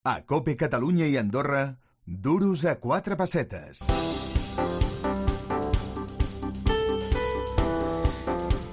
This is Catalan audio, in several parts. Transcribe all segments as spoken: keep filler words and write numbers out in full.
A COPE Catalunya i Andorra, duros a quatre pessetes.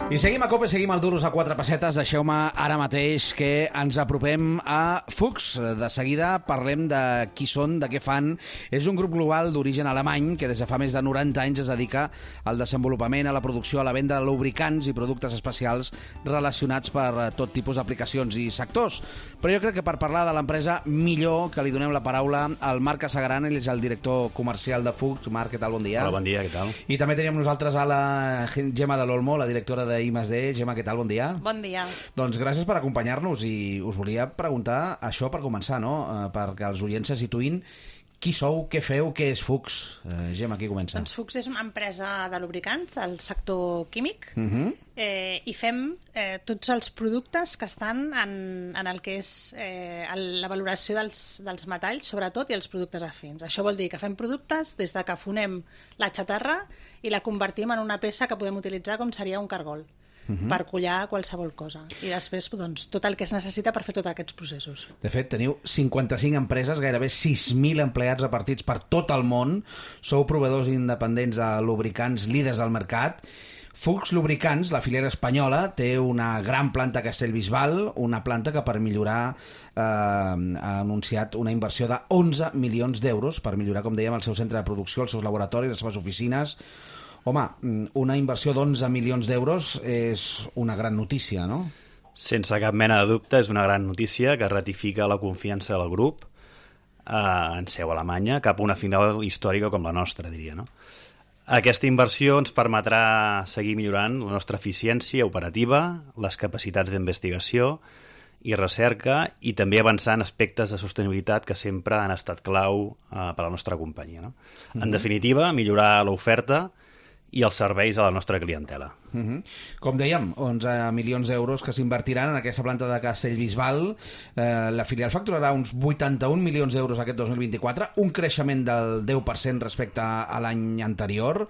I seguim a COPE, seguim al Duros a quatre pessetes. Deixeu-me ara mateix que ens apropem a Fuchs. De seguida parlem de qui són, de què fan. És un grup global d'origen alemany que des de fa més de noranta anys es dedica al desenvolupament, a la producció, a la venda de lubricants i productes especials relacionats per tot tipus d'aplicacions i sectors. Però jo crec que per parlar de l'empresa millor que li donem la paraula al Marc Casagran, ell és el director comercial de Fuchs. Marc, què tal? Bon dia. Hola, bon dia, què tal? I també teníem nosaltres a la Gemma de l'Olmo, la directora de I més D. Gemma, què tal? Bon dia. Bon dia. Doncs gràcies per acompanyar-nos i us volia preguntar això per començar, no? Eh, perquè els oients se situïn. Qui sou, què feu, què és Fuchs? Eh, Gemma, qui comença? Doncs Fuchs és una empresa de lubricants al sector químic uh -huh. eh, i fem eh, tots els productes que estan en, en el que és eh, la valoració dels, dels metalls, sobretot, i els productes afins. Això vol dir que fem productes des de que fonem la xatarra i la convertim en una peça que podem utilitzar com seria un cargol. Uh-huh. Per collar qualsevol cosa. I després, doncs, tot el que es necessita per fer tots aquests processos. De fet, teniu cinquanta-cinc empreses, gairebé sis mil empleats repartits per tot el món. Sou proveïdors independents de lubricants líders del mercat. Fuchs Lubricants, la filiera espanyola, té una gran planta a Castellbisbal, una planta que per millorar eh, ha anunciat una inversió de onze milions d'euros per millorar, com dèiem, el seu centre de producció, els seus laboratoris, les seves oficines. Home, una inversió d'onze milions d'euros és una gran notícia, no? Sense cap mena de dubte, és una gran notícia que ratifica la confiança del grup eh, en seu Alemanya cap a una final històrica com la nostra, diria, no? Aquesta inversió ens permetrà seguir millorant la nostra eficiència operativa, les capacitats d'investigació i recerca i també avançar en aspectes de sostenibilitat que sempre han estat clau eh, per a la nostra companyia, no? En uh-huh. definitiva, millorar l'oferta i els serveis a la nostra clientela. Uh-huh. Com dèiem, onze milions d'euros que s'invertiran en aquesta planta de Castellbisbal. Eh, la filial facturarà uns vuitanta-un milions d'euros aquest dos mil vint-i-quatre, un creixement del deu per cent respecte a l'any anterior.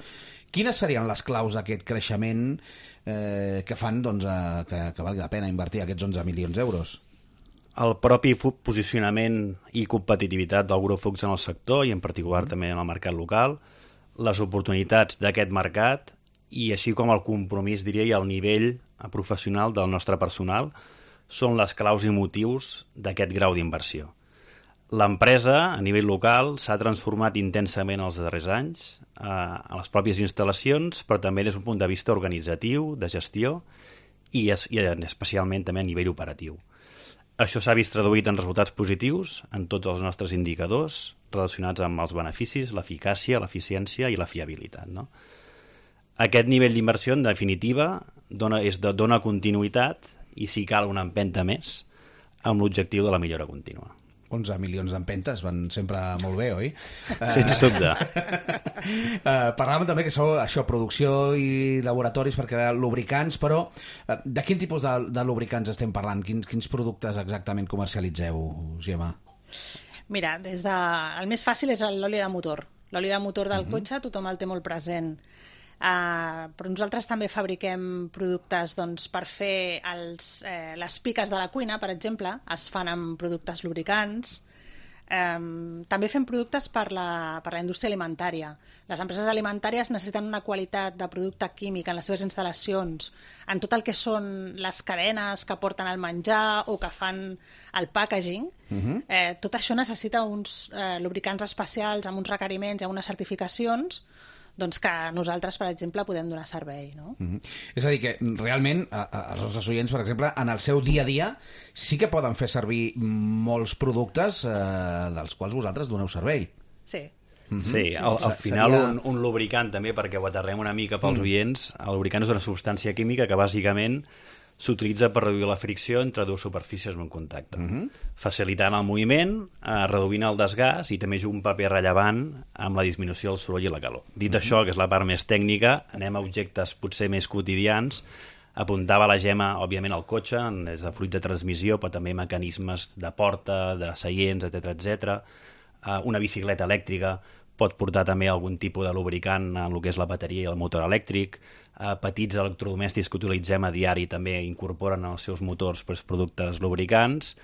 Quines serien les claus d'aquest creixement eh, que fan doncs, eh, que, que valgui la pena invertir aquests onze milions d'euros? El propi posicionament i competitivitat del grup Fuchs en el sector i en particular uh-huh. també en el mercat local, les oportunitats d'aquest mercat i així com el compromís, diria, i el nivell professional del nostre personal són les claus i motius d'aquest grau d'inversió. L'empresa, a nivell local, s'ha transformat intensament els darrers anys eh, a les pròpies instal·lacions, però també des d'un punt de vista organitzatiu, de gestió i, es, i especialment també a nivell operatiu. Això s'ha vist traduït en resultats positius en tots els nostres indicadors relacionats amb els beneficis, l'eficàcia, l'eficiència i la fiabilitat, no? Aquest nivell d'inversió, en definitiva, dona, és de, dona continuïtat i, si cal, una empenta més amb l'objectiu de la millora contínua. onze milions d'empentes van sempre molt bé, oi? Sense dubte. uh, parlàvem també que sou això, producció i laboratoris per crear lubricants, però uh, de quin tipus de, de lubricants estem parlant? Quins, quins productes exactament comercialitzeu, Gemma? Mira, des de... el més fàcil és l'oli de motor. L'oli de motor del uh-huh. cotxe tothom el té molt present. Uh, però nosaltres també fabriquem productes doncs, per fer els, eh, les piques de la cuina, per exemple, es fan amb productes lubricants. Um, també fem productes per la, per la indústria alimentària. Les empreses alimentàries necessiten una qualitat de producte químic en les seves instal·lacions, en tot el que són les cadenes que porten el menjar o que fan el packaging. Uh-huh. eh, tot això necessita uns eh, lubricants especials amb uns requeriments i amb unes certificacions doncs que nosaltres, per exemple, podem donar servei, no? Uh-huh. És a dir, que realment a, a, els nostres oients, per exemple, en el seu dia a dia sí que poden fer servir molts productes eh, dels quals vosaltres doneu servei. Sí. Uh-huh. Sí, al, al final seria... un, un lubricant també, perquè ho aterrem una mica pels mm. oients, el lubricant és una substància química que bàsicament s'utilitza per reduir la fricció entre dues superfícies en contacte, uh-huh. facilitant el moviment, eh, reduint el desgast i també juga un paper rellevant amb la disminució del soroll i la calor. Dit uh-huh. això, que és la part més tècnica, anem a objectes potser més quotidians. Apuntava la Gemma, òbviament, al cotxe, és de fluid de transmissió, però també mecanismes de porta, de seients, etcètera, etcètera. Eh, una bicicleta elèctrica pot portar també algun tipus de lubricant en el que és la bateria i el motor elèctric. Eh, petits electrodomèstics que utilitzem a diari també incorporen als seus motors pues, productes lubricants.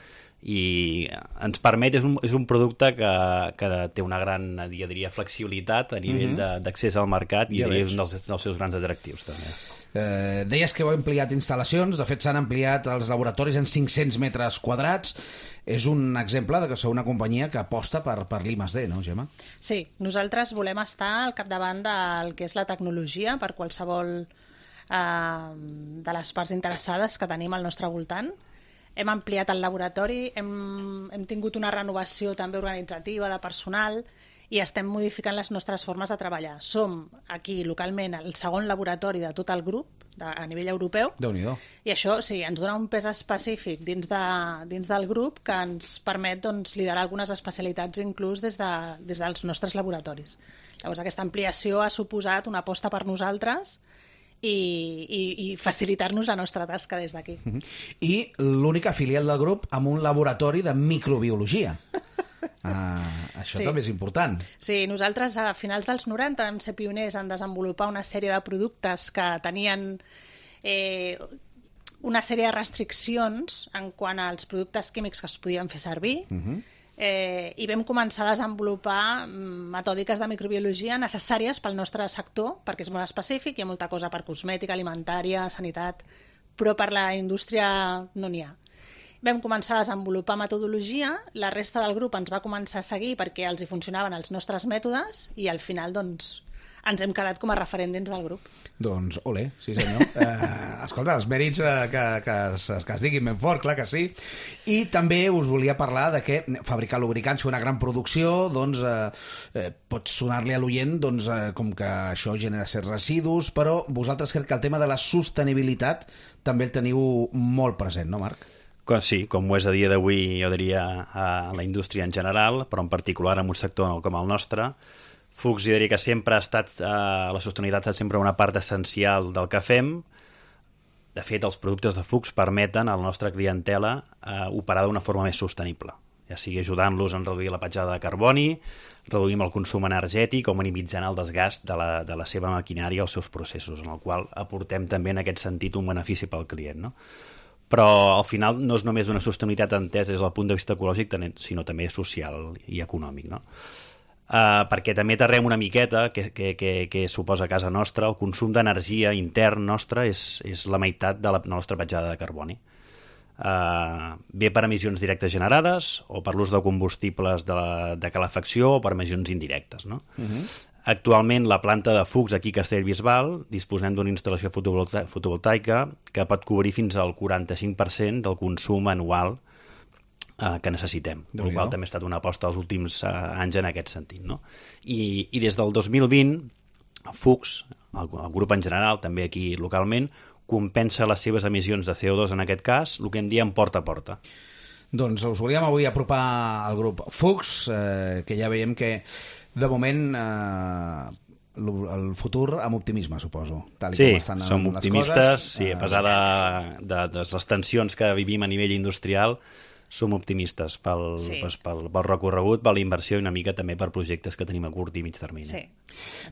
i ens permet, és un, és un producte que, que té una gran, jo diria, flexibilitat a nivell mm-hmm. d'accés al mercat i ja és un dels, dels seus grans atractius també. Eh, deies que heu ampliat instal·lacions, de fet s'han ampliat els laboratoris en cinc-cents metres quadrats. És un exemple de que sou una companyia que aposta per, per l'I més D, no, Gemma? Sí, nosaltres volem estar al capdavant del que és la tecnologia per qualsevol eh, de les parts interessades que tenim al nostre voltant. Hem ampliat el laboratori, hem, hem tingut una renovació també organitzativa de personal i estem modificant les nostres formes de treballar. Som aquí localment el segon laboratori de tot el grup de, a nivell europeu. Déu-n'hi-do. I això sí, ens dona un pes específic dins, de, dins del grup que ens permet doncs, liderar algunes especialitats inclús des, de, des dels nostres laboratoris. Llavors aquesta ampliació ha suposat una aposta per nosaltres i, i, i facilitar-nos la nostra tasca des d'aquí. Uh-huh. I l'única filial del grup amb un laboratori de microbiologia. Uh, això sí. També és important. Sí, nosaltres a finals dels noranta vam ser pioners en desenvolupar una sèrie de productes que tenien eh, una sèrie de restriccions en quant als productes químics que es podien fer servir. Uh-huh. Eh, i vam començar a desenvolupar metòdiques de microbiologia necessàries pel nostre sector, perquè és molt específic, hi ha molta cosa per cosmètica, alimentària, sanitat, però per la indústria no n'hi ha. Vam començar a desenvolupar metodologia, la resta del grup ens va començar a seguir perquè els hi funcionaven els nostres mètodes i al final doncs ens hem quedat com a referent dins del grup. Doncs, olé, sí senyor. Eh, escolta, els mèrits eh, que, que, es, que es diguin ben fort, clar que sí. I també us volia parlar de que fabricar lubricants, fer una gran producció, doncs eh, eh, pot sonar-li a l'oient doncs, eh, com que això genera certs residus, però vosaltres crec que el tema de la sostenibilitat també el teniu molt present, no, Marc? Sí, com ho és a dia d'avui, jo diria, a la indústria en general, però en particular en un sector com el nostre. Fuchs, jo diria que sempre ha estat, eh, la sostenibilitat ha estat sempre una part essencial del que fem. De fet, els productes de Fuchs permeten a la nostra clientela eh, operar d'una forma més sostenible, ja sigui ajudant-los a reduir la petjada de carboni, reduïm el consum energètic o minimitzant el desgast de la, de la seva maquinària als seus processos, en el qual aportem també en aquest sentit un benefici pel client, no? Però al final no és només una sostenibilitat entesa des del punt de vista ecològic, sinó també social i econòmic, no? Uh, perquè també aterrem una miqueta que, que, que, que suposa a casa nostra, el consum d'energia intern nostre és, és la meitat de la nostra petjada de carboni. Uh, bé per emissions directes generades o per l'ús de combustibles de, la, de calefacció o per emissions indirectes, no? Uh-huh. Actualment la planta de Fuchs aquí a Castellbisbal disposem d'una instal·lació fotovolta fotovoltaica que pot cobrir fins al quaranta-cinc per cent del consum anual Uh, que necessitem, el qual també ha estat una aposta els últims uh, anys en aquest sentit, no? I, i des del dos mil vint Fuchs, el, el grup en general, també aquí localment, compensa les seves emissions de C O dos en aquest cas, el que en diem porta a porta. Doncs us volíem avui apropar al grup Fuchs, eh, que ja veiem que de moment eh, el futur amb optimisme, suposo. Tal i sí, com estan som les optimistes, coses, sí, a pesar de, de, de les tensions que vivim a nivell industrial, som optimistes pel, sí. pel, pel, pel recorregut, per la inversió i una mica també per projectes que tenim a curt i mig termini. Sí.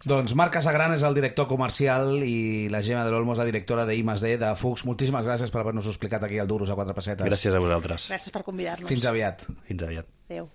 Doncs Marc Casagran és el director comercial i la Gemma de l'Olmo és la directora de I més D de Fuchs. Moltíssimes gràcies per haver-nos explicat aquí el Duros a quatre pessetes. Gràcies a vosaltres. Gràcies per convidar-nos. Fins aviat. Fins aviat. Adéu.